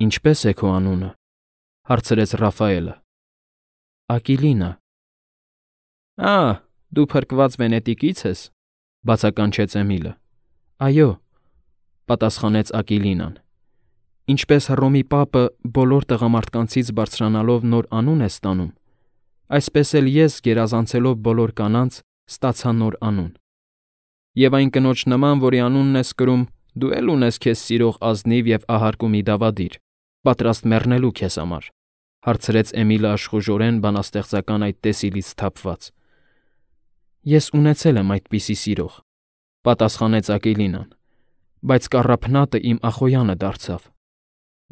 Ինչպե՞ս է քո անունը,֊ հարցրեց Ռաֆայելը։ Ակիլինա։ Դու փրկված Վենետիկից ես,֊ բացականչեց Էմիլը։ Այո,֊ պատասխանեց Ակիլինան։ Ինչպես Հռոմի պապը բոլոր տղամարդկանցից բարձրանալով նոր անուն է ստանում, այսպես էլ ես, գերազանցելով բոլոր կանանց, ստացա նոր անուն։ Եվ այն կնոջ նման, որի անունն ես կրում, դու էլ ունես քեզ սիրող ազնիվ և ահարկու մի դավադիր, պատրաստ մեռնելու քեզ համար,֊ հարցրեց Էմիլը աշխուժորեն բանաստեղծական այդ տեսիլից սթափված։ Ես ունեցել եմ այդպիսի սիրող,֊ պատասխանեց Ակիլինան,֊ բայց կառափնատը իմ Ախոյանը դարձավ։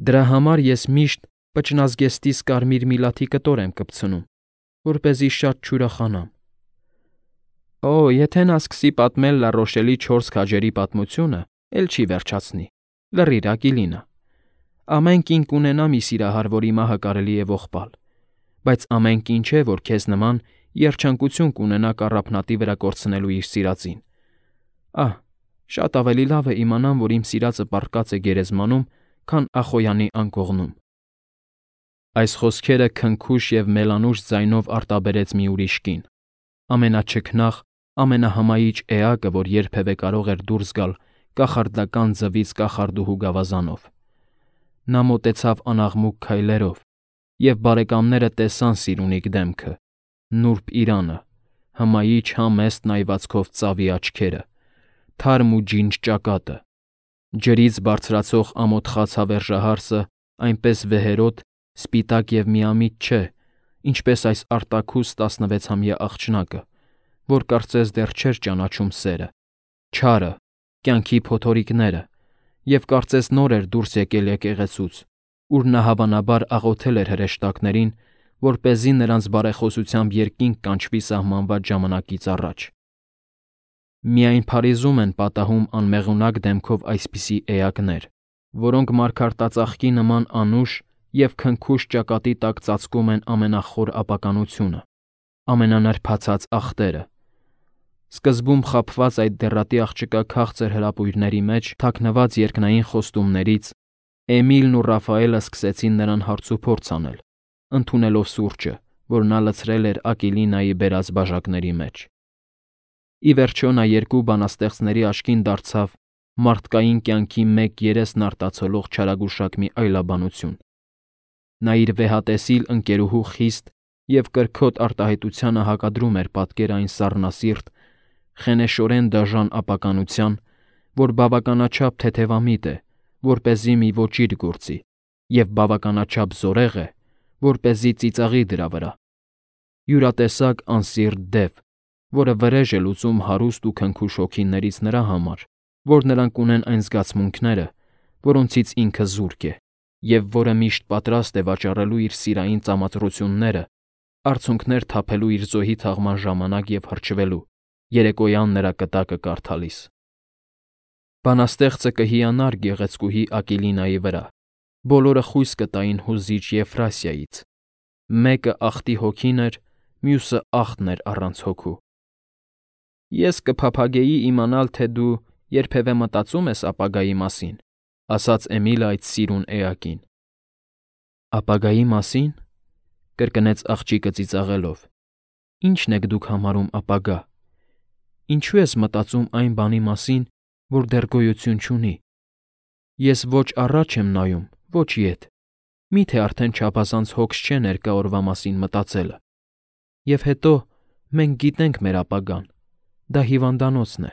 Դրա համար ես միշտ պճնազգեստիս կարմիր միլաթի կտոր եմ կպցնում, որպեսզի շատ չուրախանամ։ Եթե նա սկսի պատմել Լառոշելի 4 քաջերի պատմությունը, էլ չի վերջացնի։ Լռիր, Ակիլինա։ Ամեն կին կունենա մի սիրահար, որի մահը կարելի է ողբալ, բայց ամեն կին չէ, որ քեզ նման երջանկություն կունենա կառափնատի վրա կորցնելու իր սիրածին։ Շատ ավելի լավ է իմանամ, որ իմ սիրածը պառկած է գերեզմանում, քան Ախոյանի անկողնում։ Այս խոսքերը քնքուշ և մելանուշ ձայնով արտաբերեց մի ուրիշ կին, ամենաչքնաղ, ամենահմայիչ էակը, որ երբևէ կարող էր դուրս գալ կախարդական ձվից կախարդուհու գավազանով։ Նա մոտեցավ անաղմուկ քայլերով, և բարեկամները տեսան Սիրունիկ դեմքը, նուրբ իրանը, հմայիչ համեստ նայվածքով ծավի աչքերը, թարմ ու ջինջ ճակատը, ջրից բարձրացող ամոթխած հավերժահարսը այնպես վեհերոտ, սպիտակ և միամիտ չէ, ինչպես այս արտաքուստ 16-ամյա աղջնակը, որ կարծես դեռ չէր ճանաչում սերը, չարը, կյանքի փոթորիկները, և կարծես նոր էր դուրս եկել եկեղեցուց, ուր նա հավանաբար աղոթել էր հրեշտակներին, որպեսզի նրանց բարեխոսությամբ երկինք կանչվի սահմանված ժամանակից առաջ։ Միայն Փարիզում են պատահում անմեղունակ դեմքով այսպիսի էակներ, որոնք մարգարտածաղկի նման անուշ և քնքուշ ճակատի տակ ծածկում են ամենախոր ապականությունը, ամենանրբացած ախտերը։ Սկզբում խաբված այդ դեռատի աղջկա քաղցր հրապույրների մեջ թաքնված երկնային խոստումներից Էմիլն ու Ռաֆայելը սկսեցին նրան հարցուփորձ անել, ընդունելով սուրճը, որ նա լցրել էր Ակիլինայի բերած բաժակների մեջ։ Ի վերջո նա երկու բանաստեղծների աչքին դարձավ մարդկային կյանքի մեկ երեսն արտացոլող չարագուշակ մի այլաբանություն։ Նա իր վեհատեսիլ ընկերուհու խիստ և կրքոտ արտահայտությանը հակադրում էր պատկեր այն սառնասիրտ, խենեշորեն դաժան ապականության, որ բավականաչափ թեթևամիտ է, որպեսզի մի ոճիր գործի, և բավականաչափ զորեղ է, որպեսզի ծիծաղի դրա վրա։ Յուրատեսակ անսիրտ դև, որը վրեժ է լուծում հարուստ ու քնքուշ հոգիներից նրա համար, որ նրանք ունեն այն զգացմունքները, որոնցից ինքը զուրկ է, և որը միշտ պատրաստ է վաճառելու իր սիրային ծամածռությունները, արցունքներ թափելու իր զոհի թաղման ժամանակ և հրճվելու, երեկոյան նրա կտակը կարդալիս։ Բանաստեղծը կհիանար գեղեցկուհի Ակիլինայի վրա, բոլորը խույս կտային հուզիչ Եֆրասիայից։ Մեկը ախտի հոգին էր, մյուսը ախտն էր առանց հոգու։ Ես կփափագեի իմանալ, թե դու երբևէ մտածում ես ապագայի մասին,֊ ասաց Էմիլը այդ սիրուն էակին։ Ապագայի մասին,֊ կրկնեց աղջիկը ծիծաղելով։ Ի՞նչն եք դուք համարում ապագա։ Ինչու ես մտածում այն բանի մասին, որ դեռ գոյություն չունի։ Ես ոչ առաջ եմ նայում, ոչ ետ։ Մի՞թե արդեն չափազանց հոգս չէ ներկա օրվա մասին մտածելը։ Եվ հետո մենք գիտենք մեր ապագան, դա հիվանդանոցն է։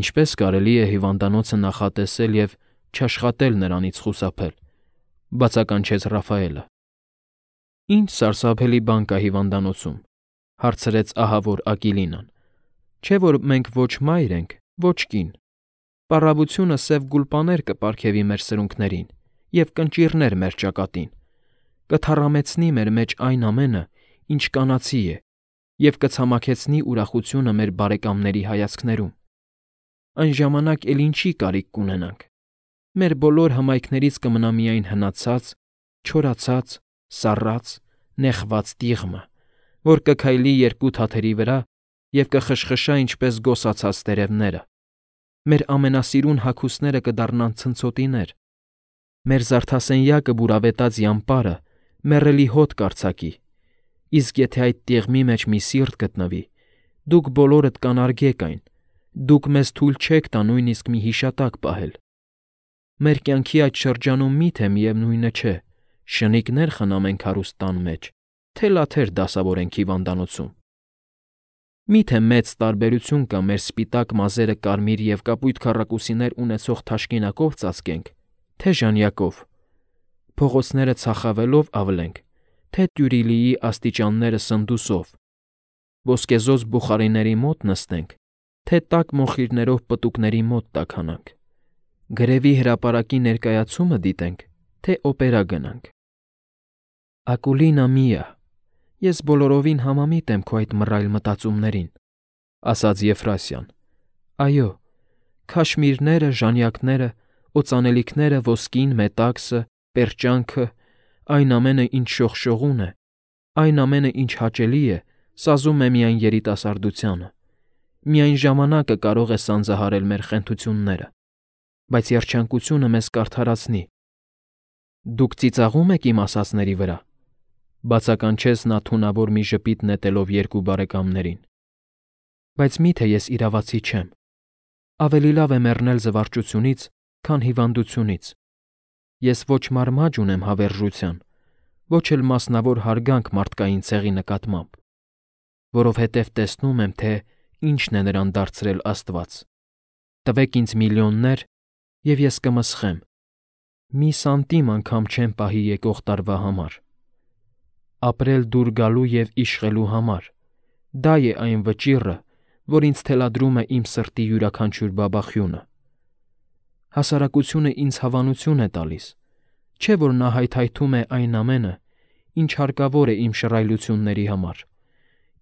Ինչպե՞ս կարելի է հիվանդանոցը նախատեսել և չաշխատել նրանից խուսափել,֊ բացականչեց Ռաֆայելը։ Ինչ սարսափելի բան կա հիվանդանոցում,֊ հարցրեց ահավոր Ակիլինան։ Չէ՞ որ մենք ոչ մայր ենք, ոչ կին։ Պառավությունը սև գուլպաներ կպարգևի մեր սրունքներին և կնճիռներ մեր ճակատին, կթառամեցնի մեր մեջ այն ամենը, ինչ կանացի է, և կցամաքեցնի ուրախությունը մեր բարեկամների հայացքներում։ Այն ժամանակ էլ ինչի կարիք կունենանք։ Մեր բոլոր հմայքներից կմնա միայն հնացած, չորացած, սառած, նեխված տիղմը, որ կքայլի երկու թաթերի վրա և կխշխշա ինչպես գոսացած տերևները։ Մեր ամենասիրուն հագուստները կդառնան ցնցոտիներ։ Մեր զարդասենյակը բուրավետած յամպարը մեռելի հոտ կարձակի, իսկ եթե այդ տիղմի մեջ մի սիրտ գտնվի, դուք բոլորդ կանարգեք այն, դուք մեզ թույլ չեք տա նույնիսկ մի հիշատակ պահել։ Մեր կյանքի այդ շրջանում միթե միևնույնը չէ, շնիկներ խնամենք հարուստ տան մեջ, թե լաթեր դասավորենք հիվանդանոցում։ Միթե մեծ տարբերություն կա մեր սպիտակ մազերը կարմիր և կապույտ քառակուսիներ ունեցող թաշկինակով ծածկենք, թե ժանյակով, փողոցները ցախավելով ավլենք, թե տյուրիլիի աստիճանները սնդուսով, ոսկեզօծ բուխարիների մոտ նստենք, թե տաք մոխիրներով պտուկների մոտ տաքանանք, գրևի հրապարակի ներկայացումը դիտենք, թե օպերա գնանք։ Ակուլինա միա, ես բոլորովին համամիտ եմ քո այդ մռայլ մտածումներին, ասաց Եֆրասիան։ Այո, քաշմիրները, ժանյակները, օծանելիքները, ոսկին, մետաքսը, պերճանքը, այն ամենը, ինչ շողշողուն է, այն ամենը, ինչ հաճելի է, սազում է միայն երիտասարդությանը։ Միայն ժամանակը կարող է սանձահարել մեր խենթությունները, բայց երջանկությունը մեզ կարդարացնի։ Դուք ծիծաղում եք իմ ասածների վրա, բացականչեց նա թունավոր մի ժպիտ նետելով երկու բարեկամներին։ Բայց միթե ես իրավացի չեմ։ Ավելի լավ է մեռնել զվարճությունից, քան հիվանդությունից։ Ես ոչ մարմաջ ունեմ հավերժության, ոչ էլ մասնավոր հարգանք մարդկային ցեղի նկատմամբ, որովհետև տեսնում եմ, թե ինչն է նրան դարձրել Աստված։ Տվեք ինձ միլիոններ, և ես կմսխեմ։ Մի սանտիմ անգամ չեմ պահի եկող տարվա համար։ Ապրել դուր գալու և իշխելու համար, դա է այն վճիռը, որ ինձ թելադրում է իմ սրտի յուրաքանչյուր բաբախյունը։ Հասարակությունը ինձ հավանություն է տալիս, չէ՞ որ նա հայթայթում է այն ամենը, ինչ հարկավոր է իմ շռայլությունների համար։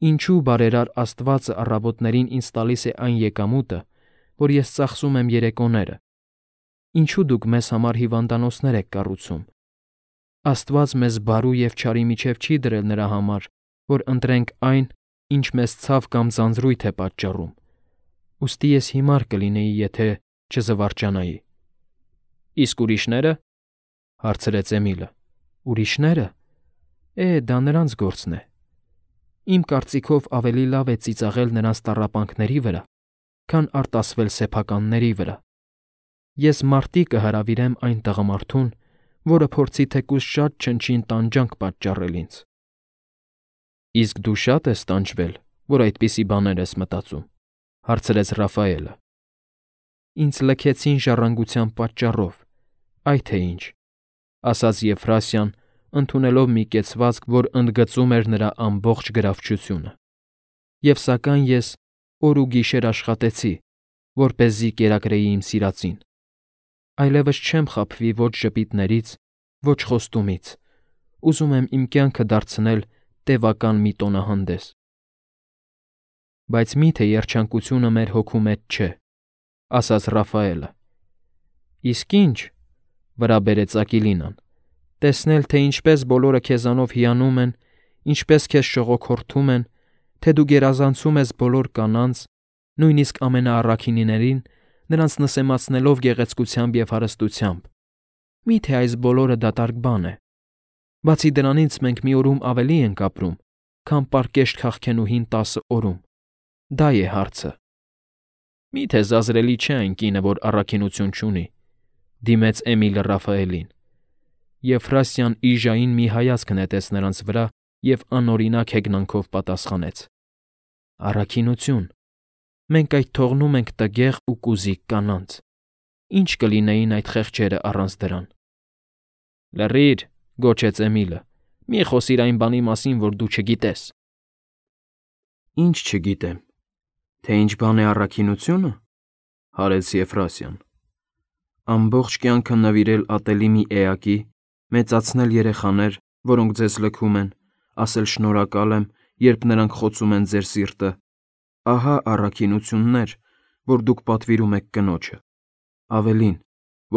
Ինչու բարերար Աստվածը առավոտներին ինձ տալիս է այն եկամուտը, որ ես ծախսում եմ երեկոները։ Ինչու դուք մեզ համար հիվանդանոցներ եք կառուցում։ Աստված մեզ բարու և չարի միջև չի դրել նրա համար, որ ընտրենք այն, ինչ մեզ ցավ կամ ձանձրույթ է պատճառում։ Ուստի ես հիմար կլինեի, եթե չզվարճանայի։ Իսկ ուրիշները, հարցրեց Էմիլը։ Ուրիշները։ Դա նրանց գործն է։ Իմ կարծիքով ավելի լավ է ծիծաղել նրանց տառապանքների վրա, քան արտասվել սեփականների վրա։ Ես մարտի կհրավիրեմ այն տղամարդուն, որը փորձի թեկուզ շատ չնչին տանջանք պատճառել ինձ։ Իսկ դու շատ ես տանջվել, որ այդպիսի բաներ ես մտածում, հարցրեց Ռաֆայելը։ Ինձ լքեցին ժառանգության պատճառով, այ թե ինչ, ասաց Եֆրասիան, ընդունելով մի կեցվածք, որ ընդգծում էր նրա ամբողջ գրավչությունը։ Եվ սակայն ես օր ու գիշեր աշխատեցի, որպեսզի կերակրեի իմ սիրածին։ Այլևս չեմ խաբվի ոչ ժպիտներից, ոչ խոստումից։ Ուզում եմ իմ կյանքը դարձնել տևական մի տոնահանդես։ Բայց միթե երջանկությունը մեր հոգու մեջ չէ, ասաց Ռաֆայելը։ Իսկ ինչ, վրա բերեց Ակիլինան, տեսնել, թե ինչպես բոլորը քեզանով հիանում են, ինչպես քեզ շողոքորթում են, թե դու գերազանցում ես բոլոր կանանց, նույնիսկ ամենաառաքինիներին, նրանց նսեմացնելով գեղեցկությամբ և հարստությամբ։ Միթե այս բոլորը դատարկ բան է։ Բացի դրանից մենք մի օրում ավելի ենք ապրում, քան պարկեշտ քաղքենուհին 10 օրում։ Դա է հարցը։ Միթե զազրելի չէ այն կինը, որ առաքինություն չունի, դիմեց Էմիլը Ռաֆայելին։ Եֆրասիան իժային մի հայացք նետեց նրանց վրա և անօրինակ հեգնանքով պատասխանեց. Առաքինություն։ Մենք այդ թողնում ենք տգեղ ու կուզիկ կանանց։ Ինչ կլինեին այդ խեղճերը առանց դրան։ Լռիր, գոչեց Էմիլը։ Մի խոսիր այն բանի մասին, որ դու չգիտես։ Ինչ չգիտեմ։ Թե ինչ բան է առաքինությունը, հարեց Եֆրասիան։ Ամբողջ կյանքը նվիրել ատելի մի էակի, մեծացնել երեխաներ, որոնք ձեզ լքում են, ասել շնորհակալ եմ, երբ նրանք խոցում են ձեր սիրտը։ Ահա առաքինություններ, որ դուք պատվիրում եք կնոջը։ Ավելին,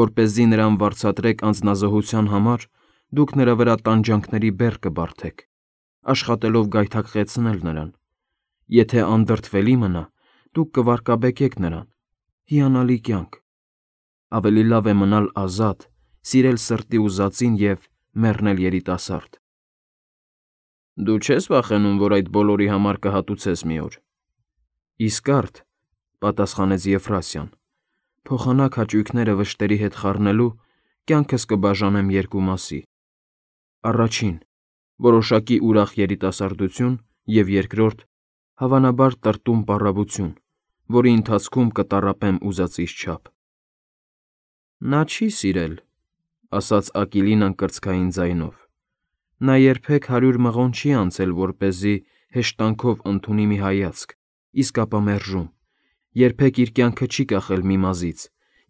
որպեսզի նրան վարձատրեք անձնազոհության համար, դուք նրա վրա տանջանքների բեռ կբարդեք, աշխատելով գայթակղեցնել նրան։ Եթե անդրդվելի մնա, դուք կվարկաբեկեք նրան։ Հիանալի կյանք։ Ավելի լավ է մնալ ազատ, սիրել սրտի ուզածին և մեռնել երիտասարդ։ Դու չես վախենում, որ այդ բոլորի համար կհատուցես մի օր։ Իսկ արդ, պատասխանեց Եֆրասիան, փոխանակ հաճույքները վշտերի հետ խառնելու կյանքս կբաժանեմ երկու մասի. առաջին, որոշակի ուրախ երիտասարդություն, և երկրորդ, հավանաբար տրտում պառավություն, որի ընթացքում կտառապեմ ուզածիս չափ։ Նա չի սիրել, ասաց Ակիլինան կրծքային ձայնով։ Նա երբեք 100 մղոն չի անցել, որպեսզի հեշտանքով ընդունի մի հայացք, իսկ ապա մերժում, երբեք իր կյանքը չի կախել մի մազից,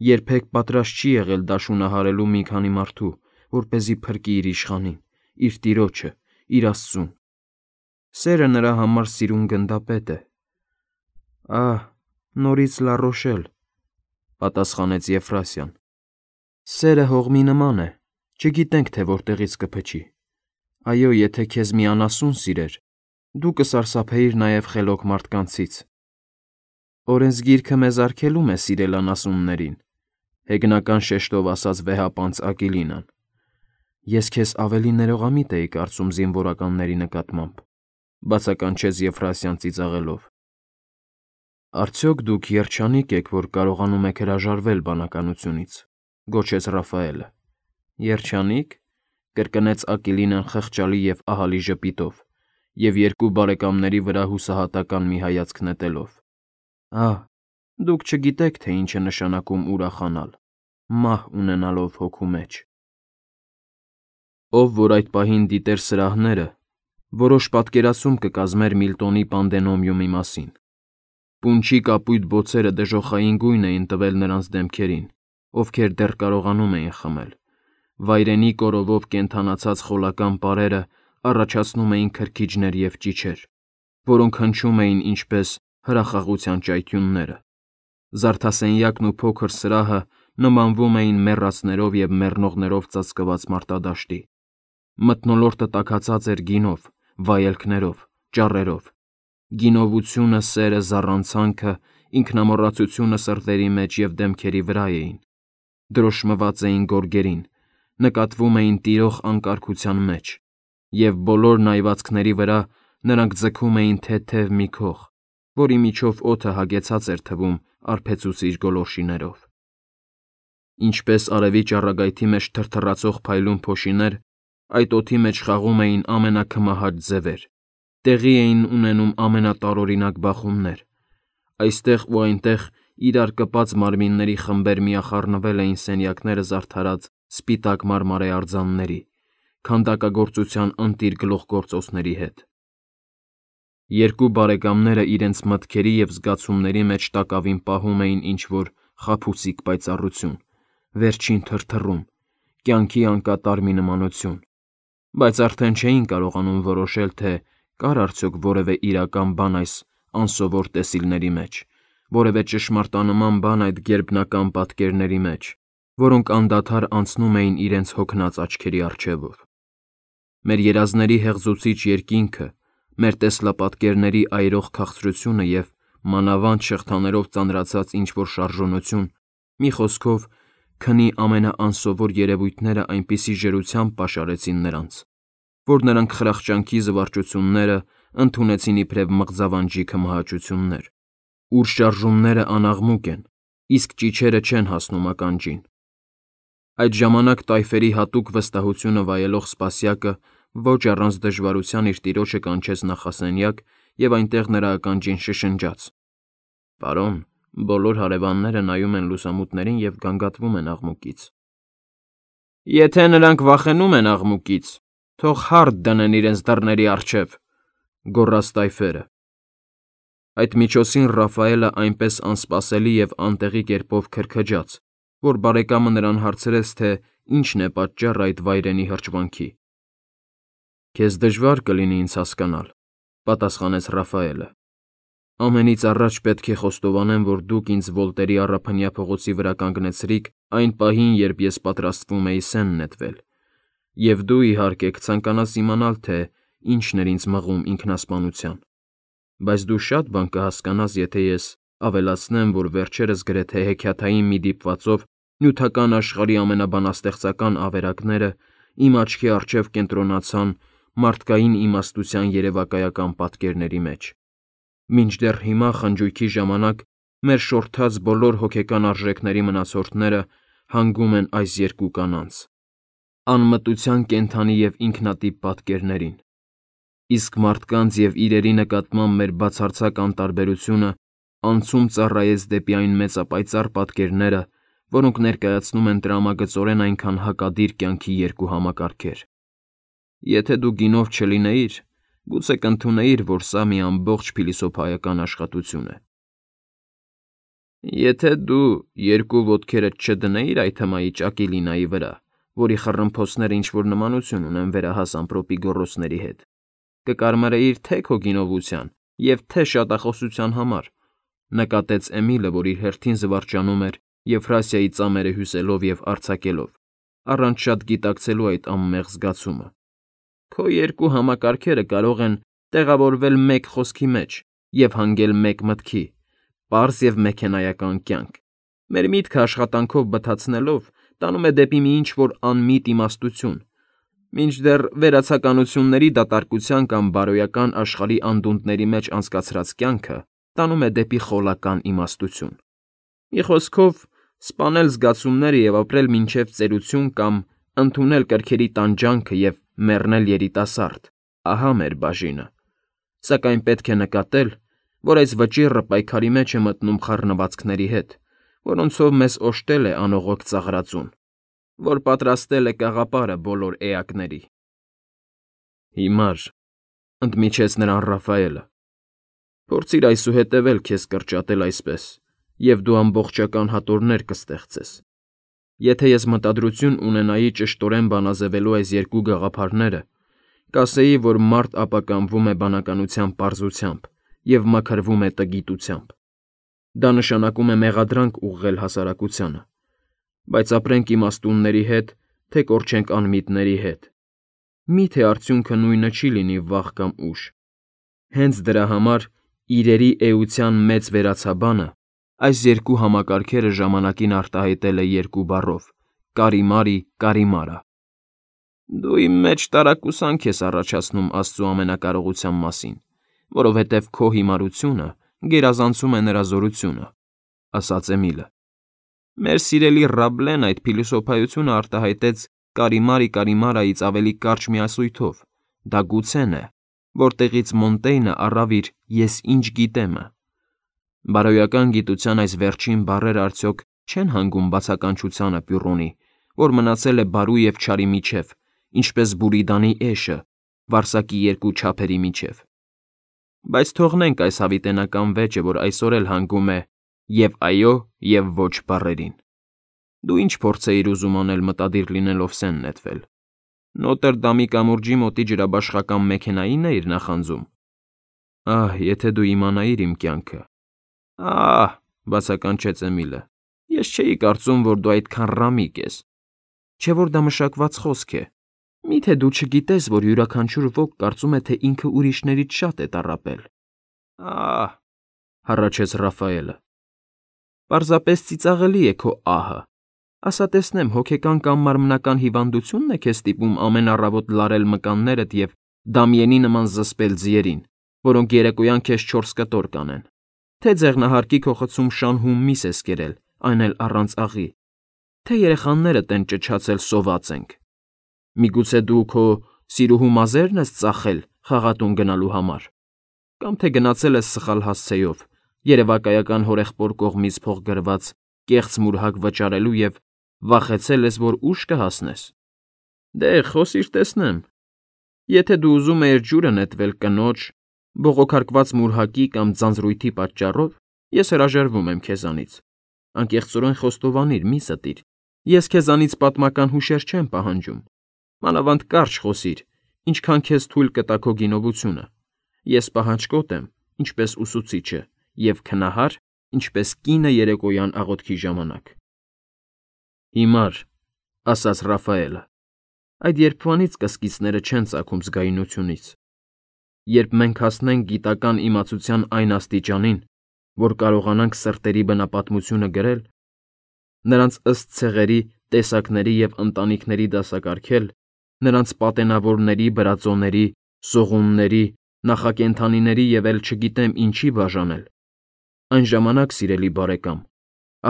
երբեք պատրաստ չի եղել դաշունահարելու մի քանի մարդու, որպեսզի փրկի իր իշխանին, իր տիրոջը, իր Աստծուն։ Սերը նրա համար սիրուն գնդապետ է։ Ահ, նորից Լառոշել, պատասխանեց Եֆրասիան։ Սերը հողմի նման է, չգիտենք, թե որտեղից կփչի։ Այո, եթե քեզ մի անասուն սիրեր, դու կսարսափեիր նաև խելոք մարդկանցից։ Օրենսգիրքը մեզ արգելում է սիրել անասուններին, հեգնական շեշտով ասաց վեհապանծ Ակիլինան։ Ես քեզ ավելի ներողամիտ էի կարծում զինվորականների նկատմամբ, բացականչեց Եֆրասիան ծիծաղելով։ Արդյոք դուք երջանիկ եք, որ կարողանում եք հրաժարվել բանականությունից, գոչեց Ռաֆայելը։ Երջանի՞կ, կրկնեց Ակիլինան խղճալի և ահալի ժպիտով և երկու բարեկամների վրա հուսահատական մի հայացք նետելով։ Ահ, դուք չգիտեք, թե ինչ է նշանակում ուրախանալ, մահ ունենալով հոգու մեջ։ Ով որ այդ պահին դիտեր սրահները, որոշ պատկերացում կկազմեր Միլտոնի Պանդենոմիումի մասին։ Պունչի կապույտ բոցերը դժոխային գույն էին տվել նրանց դեմքերին, ովքեր դեռ կարողանում էին խմել։ Վայրենի կորովով կենդանացած խոլական պարերը առաջացնում էին քրքիջներ և ճիչեր, որոնք հնչում էին ինչպես հրախաղության ճայթյունները։ Զարդասենյակն ու փոքր սրահը նմանվում էին մեռածներով և մեռնողներով ծածկված մարտադաշտի։ Մթնոլորտը տաքացած էր գինով, վայելքներով, ճառերով։ Գինովությունը, սերը, զառանցանքը, ինքնամոռացությունը սրտերի մեջ և դեմքերի վրա էին, դրոշմված էին գորգերին, նկատվում էին տիրող անկարգության մեջ, և բոլոր նայվածքների վրա նրանք ձգում էին թեթև մի քող, որի միջով օդը հագեցած էր թվում արբեցուցիչ գոլորշիներով։ Ինչպես արևի ճառագայթի մեջ թրթռացող փայլուն փոշիներ, այդ օդի մեջ խաղում էին ամենաքմահաճ ձևեր, տեղի էին ունենում ամենատարօրինակ բախումներ։ Այստեղ ու այնտեղ իրար կպած մարմինների խմբեր միախառնվել էին սենյակները զարդարած սպիտակ մարմարե արձանների, քանդակագործության ընտիր գլուխգործոցների հետ։ Երկու բարեկամները իրենց մտքերի և զգացումների մեջ տակավին պահում էին ինչ-որ խաբուսիկ պայծառություն, վերջին թրթռում, կյանքի անկատար մի նմանություն, բայց արդեն չէին կարողանում որոշել, թե կար արդյոք որևէ իրական բան այս անսովոր տեսիլների մեջ, որևէ ճշմարտանման բան այդ գերբնական պատկերների մեջ, որոնք անդադար անցնում էին իրենց հոգնած աչքերի առջևով։ Մեր երազների հեղձուցիչ երկինքը, մեր տեսլապատկերների այրող քաղցրությունը և մանավանդ շղթաներով ծանրացած ինչ-որ շարժունություն, մի խոսքով, քնի ամենաանսովոր երևույթները այնպիսի ջրությամբ պաշարեցին նրանց, որ նրանք խրախճանքի զվարճությունները ընդունեցին իբրև մղձավանջի քմահաճություններ, ուր շարժումները անաղմուկ են, իսկ ճիչերը չեն հասնում ականջին։ Այդ ժամանակ տայֆերի հատուկ վստահությունը վայելող սպասյակը ոչ առանց դժվարության իր տիրոջը կանչեց նախասենյակ և այնտեղ նրա ականջին շշնջաց. Պարոն, բոլոր հարևանները նայում են լուսամուտներին և գանգատվում են աղմուկից։ Եթե նրանք վախենում են աղմուկից, թող հարդ դնեն իրենց դռների առջև, գոռաց տայֆերը։ Այդ միջոցին Ռաֆայելը այնպես անսպասելի և անտեղի կերպով քրքջաց, որ բարեկամը նրան հարցրեց, թե ինչն է պատճառը այդ վայրենի հրճվանքի։ Քեզ դժվար կլինի ինձ հասկանալ, պատասխանեց Ռաֆայելը։ Ամենից առաջ պետք է խոստովանեմ, որ դուք ինձ Վոլտերի առափնյա փողոցի վրա կանգնեցրիք այն պահին, երբ ես պատրաստվում էի սեն նետվել, և դու, իհարկե, կցանկանաս իմանալ, թե ինչն էր ինձ մղում ինքնասպանության, բայց դու շատ բան կհասկանաս, եթե ես ավելացնեմ, որ վերջերս գրեթե հեքիաթային մի դիպվածով Նյութական աշխարհի ամենաբանաստեղծական ավերակները իմ աչքի առջև կենտրոնացան մարդկային իմաստության երևակայական պատկերների մեջ։ Մինչդեռ հիմա խնջույքի ժամանակ մեր շորթած բոլոր հոգեկան արժեքների մնացորդները հանգում են այս երկու կանանց՝ անմտության կենդանի և ինքնատիպ պատկերներին, իսկ մարդկանց և իրերի նկատմամբ մեր բացարձակ անտարբերությունը անցում ծառայեց դեպի այն մեծապայծառ պատկերները, որոնք ներկայացնում են տրամագծորեն այնքան հակադիր կյանքի երկու համակարգեր։ Եթե դու գինով չլինեիր, գուցե կընդունեիր, որ սա մի ամբողջ փիլիսոփայական աշխատություն է։ Եթե դու երկու ոտքերդ չդնեիր այդ հմայի ճակիլինայի վրա, որի խռմփոցները ինչ-որ նմանություն ունեն վերահաս ամպրոպի գոռոցների հետ, կկարմարեիր թե քո գինովության և թե շատախոսության համար, նկատեց Էմիլը, որ իր հերթին զվարճանում էր Եվրասիայի ծամերը հյուսելով և արձակելով, առանց շատ գիտակցելու այդ անմեղ զգացումը։ Քո երկու համակարգերը կարող են տեղավորվել մեկ խոսքի մեջ և հանգել մեկ մտքի՝ պարզ և մեքենայական կյանք։ Մեր միտքը աշխատանքով բթացնելով տանում է դեպի մի ինչ֊որ անմիտ իմաստություն, մինչդեռ վերացականությունների դատարկության կամ բարոյական աշխարհի անդունդների մեջ անցկացրած կյանքը տանում է դեպի խոլական իմաստություն։ Մի խոսքով, սպանել զգացումները և ապրել մինչև ծերություն կամ ընդունել կրքերի տանջանքը և մեռնել երիտասարդ՝ ահա մեր բաժինը։ Սակայն պետք է նկատել, որ այս վճիռը պայքարի մեջ է մտնում խառնվածքների հետ, որոնցով մեզ օժտել է անողոք ծաղրածուն, որ պատրաստել է կաղապարը բոլոր էակների։ Հիմար, ընդմիջեց նրան Ռաֆայելը, փորձիր այսուհետև էլ քեզ կրճատել այսպես, և դու ամբողջական հատորներ կստեղծես։ Եթե ես մտադրություն ունենայի ճշտորեն բանաձևելու այս երկու գաղափարները, կասեի, որ մարդ ապականվում է բանականության պարզությամբ և մաքրվում է տգիտությամբ։ Դա նշանակում է մեղադրանք ուղղել հասարակությանը, բայց ապրենք իմաստունների հետ, թե կորչենք անմիտների հետ։ Մի՞թե արդյունքը նույնը չի լինի վաղ կամ ուշ։ Հենց դրա համար իրերի էության մեծ վերացաբանը այս երկու համակարգերը ժամանակին արտահայտել է երկու բառով՝ կարիմարի կարիմարա։ Դու իմ մեջ տարակուսանք ես առաջացնում Աստծու ամենակարողության մասին, որովհետև քո հիմարությունը գերազանցում է նրա զորությունը, ասաց Էմիլը։ Մեր սիրելի Ռաբլեն այդ փիլիսոփայությունը արտահայտեց կարիմարի կարիմարայից ավելի կարճ մի ասույթով. դա գուցեն է, որտեղից Մոնտեյնը առավ իր «ես ինչ գիտեմ»-ը։ Բարոյական գիտության այս վերջին բառերը արդյոք չեն հանգում բացականչությանը Պյուրոնի, որ մնացել է բարու և չարի միջև, ինչպես Բուրիդանի էշը, վարսակի երկու չափերի միջև։ Բայց թողնենք այս հավիտենական վեճը, որ այսօր էլ հանգում է և այո, և ոչ բառերին։ Դու ինչ փորձ էիր ուզում անել մտադիր լինելով սեն նետվել։ Նոտրդամի կամուրջի մոտի ջրաբաշխական մեքենայի՞ն էիր նախանձում։ Ահ, եթե դու իմանայիր իմ կյանքը։ Ահ, բացականչեց Էմիլը, ես չէի կարծում, որ դու այդքան ռամիկ ես։ Չէ որ դա մշակված խոսք է։ Մի՞թե դու չգիտես, որ յուրաքանչյուր ոք կարծում է, թե ինքը ուրիշներից շատ է տառապել։ Ահ, հառաչեց Ռաֆայելը։ Պարզապես ծիծաղելի է քո ահը։ Ասա տեսնեմ, հոգեկան կամ մարմնական հիվանդությո՞ւնն է քեզ ստիպում ամեն առավոտ լարել մկաններդ և դամյենի նման զսպել ձիերին, որոնք երեկոյան քեզ 4 կտոր կանեն, թե ձեղնահարկի քո խցում շան հում միս ես կերել, այն էլ առանց աղի, թե երեխաներդ են ճչացել սոված ենք։ Միգուցե դու քո սիրուհու մազե՞րն ես ծախել խաղատուն գնալու համար, կամ թե գնացել ես սխալ հասցեով, երևակայական հորեղբոր կողմից փոխգրված կեղծ մուրհակ վճարելու և վախեցել ես, որ ուշ կհասնես։ Դե, խոսիր տեսնեմ։ Եթե դու ուզում էիր ջուրը նետվել կնոջ, բողոքարկված մուրհակի կամ ձանձրույթի պատճառով, ես հրաժարվում եմ քեզանից։ Անկեղծորեն խոստովանիր, մի ստիր։ Ես քեզանից պատմական հուշեր չեմ պահանջում։ Մանավանդ կարճ խոսիր, ինչքան քեզ թույլ կտա քո գինովությունը։ Ես պահանջկոտ եմ, ինչպես ուսուցիչը, և քնահար, ինչպես կինը երեկոյան աղոթքի ժամանակ։ Հիմար, ասաց Ռաֆայելը, այդ երբվանից կսկիցները չեն ծագում զգայունությունից։ Երբ մենք հասնենք գիտական իմացության այն աստիճանին, որ կարողանանք սրտերի բնապատմությունը գրել, նրանց ըստ ցեղերի, տեսակների և ընտանիքների դասակարգել, նրանց պատենավորների, բրածոների, սողունների, նախակենդանիների և էլ չգիտեմ ինչի բաժանել, այն ժամանակ, սիրելի բարեկամ,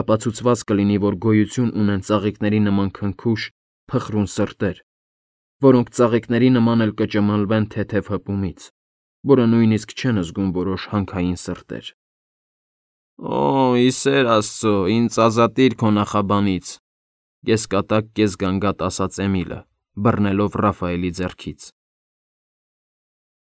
ապացուցված կլինի, որ գոյություն ունեն ծաղիկների նման քնքուշ, փխրուն սրտեր, որոնք ծաղիկների նման էլ կճմլվեն թեթև հպումից, որը նույնիսկ չեն զգում որոշ հանքային սրտեր։ ֊ Օ, ի սեր աստծո, ինձ ազատիր քո նախաբանից,֊ կեսկատակ, կեսգանգատ ասաց Էմիլը, բռնելով Ռաֆայելի ձեռքից։